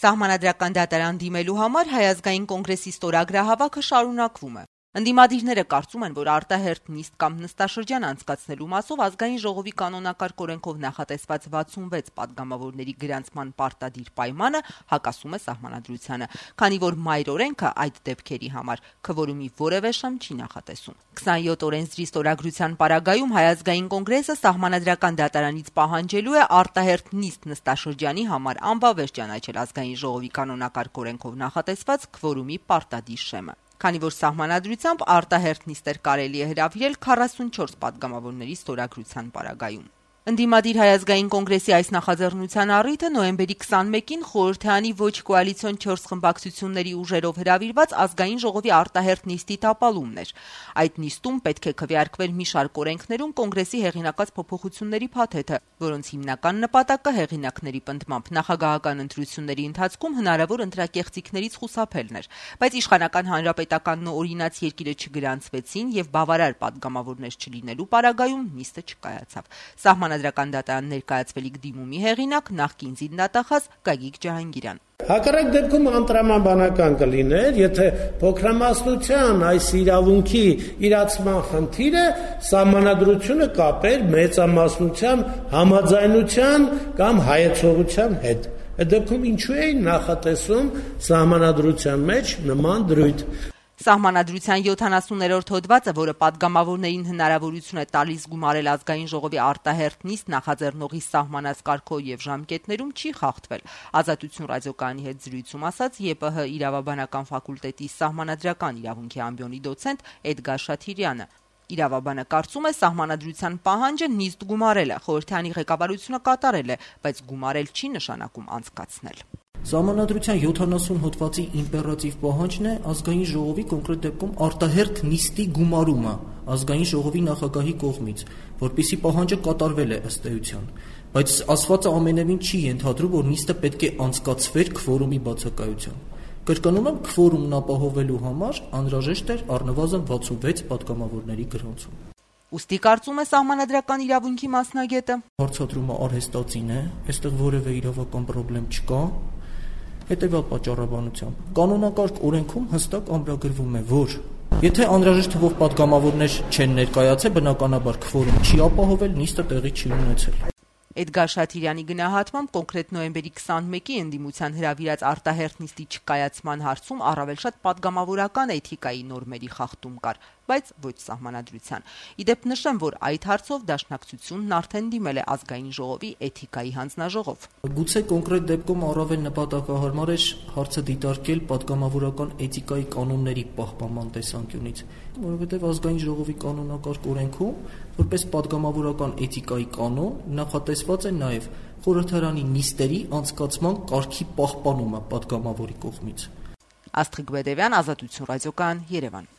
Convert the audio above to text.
Սահմանադրական դատարան դիմելու համար Հայ ազգային կոնգրեսի ստորագրահավաքը շարունակվում է։ Ընդդիմադիրները կարծում են, որ արտահերթ նիստ կամ նստաշրջան անցկացնելու մասով ազգային ժողովի կանոնակարգ օրենքով նախատեսված 66 падգամավորների գրանցման պարտադիր պայմանը հակասում է սահմանադրությանը, քանի որ մայր օրենքը այդ դեպքերի համար քվորումի որևէ շեմ չի նախատեսում։ 27 օրենսդրի ստորագրության պարագայում Հայ ազգային կոնգրեսը սահմանադրական դատարանից պահանջելու է արտահերթ նիստ նստաշրջանի համար անվավեր ճանաչել ազգային ժողովի կանոնակարգ օրենքով նախատեսված քվորումի պարտադիր շեմը։ Քանի որ սահմանադրությամբ արտահերթ նիստեր կարելի է հրավիրել 44 падգամավորների ստորագրության պարագայում։ Ընդդիմադիր Հայ ազգային կոնգրեսի այս նախաձեռնության առիթը նոյեմբերի 21-ին խորհրդարանի ոչ կոալիցիոն 4 խմբակցությունների ուժերով հրավիրված ազգային ժողովի արտահերթ նիստի տապալումն էր։ Այդ նիստում պետք է քվեարկվել մի շարք օրենքներում կոնգրեսի հեղինակած փոփոխությունների փաթեթը, որոնց հիմնական նպատակը հեղինակների պնդմամբ նախագահական ընտրությունների ընթացքում հնարավոր ընտրակեղծիքներից խուսափելն էր, բայց իշխանական հանրապետականն ու օրինաց երկիրը չգրանցվեցին եւ բավարար падգամավորներ չլինելու պարագայում նիստը չկայացավ։ Սահմանադրական դատարան ներկայացվելիք դիմումի հեղինակ նախկին զինդատախազ Գագիկ Ջահանգիրյան։ Հակառակ դեպքում անտրամաբանական կլիներ, եթե փոքրամասնության այս իրավունքի իրացման խնդիրը սահմանադրությունը կապեր մեծամասնության համաձայնության կամ հայեցողության հետ։ Այդ դեպքում ինչու է նախատեսում սահմանադրության մեջ նման դրույթ։ Սահմանադրության 70-րդ հոդվածը, որը падգամավորներին հնարավորություն է տալիս գումարել ազգային ժողովի արտահերթ նիստ նախաձեռնողի սահմանած կարգով եւ ժամկետներում, չի խախտվել։ Ազատություն ռադիոկայանի հետ զրույցում ասաց ԵՊՀ իրավաբանական ֆակուլտետի սահմանադրական իրավունքի ամբիոնի դոցենտ Էդգար Շաթիրյանը։ Իրավաբանը կարծում է սահմանադրության պահանջը նիստ գումարելը, խորհրդարանի ղեկավարությունը կատարել է, բայց գումարել չի նշանակում անցկացնել։ Սահմանադրության 70 հոդվածի իմպերատիվ պահանջն է ազգային ժողովի կոնկրետ դեպքում արտահերթ նիստի գումարումը ազգային ժողովի նախագահի կողմից, որպիսի պահանջը կատարվել է ըստ էության, բայց ասվածը ամենևին չի ենթադրում, որ նիստը պետք է անցկացվեր քվորումի բացակայությամբ։ Կրկնում եմ, քվորումն ապահովելու համար անհրաժեշտ էր առնվազն 66 падգամավորների գրանցում։ Ուստի կարծում է սահմանադրական իրավունքի մասնագետը։ Հարցադրումը արհեստածին է, այստեղ որևէ իրավական խնդրեմ չկա։ Հետևյալ պատճառաբանությամբ կանոնակարգ օրենքում հստակ ամրագրվում է, որ եթե անհրաժեշտ թվով падգամավորներ չեն ներկայացել, բնականաբար քվորում չի ապահովել, նիստը տեղի չի ունեցել։ Էդգար Շաթիրյանի գնահատմամբ կոնկրետ նոյեմբերի 21-ի ընդդիմության հրավիրած արտահերթ նիստի չկայացման հարցում առավել շատ падգամավորական էթիկայի նորմերի խախտում կար, բայց ոչ սահմանադրության։ Իդեպ նշեմ, որ այդ հարցով դաշնակցությունն արդեն դիմել է ազգային ժողովի էթիկայի հանձնաժողով։ Գուցե կոնկրետ դեպքում առավել նպատակահարմար էր հարցը դիտարկել падգամավորական էթիկայի կանոնների պահպանման տեսանկյունից, որովհետև ազգային ժողովի կանոնակարգ օրենքում որպես падգամավորական էթիկայի կանոն նախատեսված է նաև խորհրդարանի նիստերի անցկացման կարգի պահպանումը падգամավորի կողմից։ Աստղիկ Բեդևյան, Ազատություն ռադիոկայան, Երևան։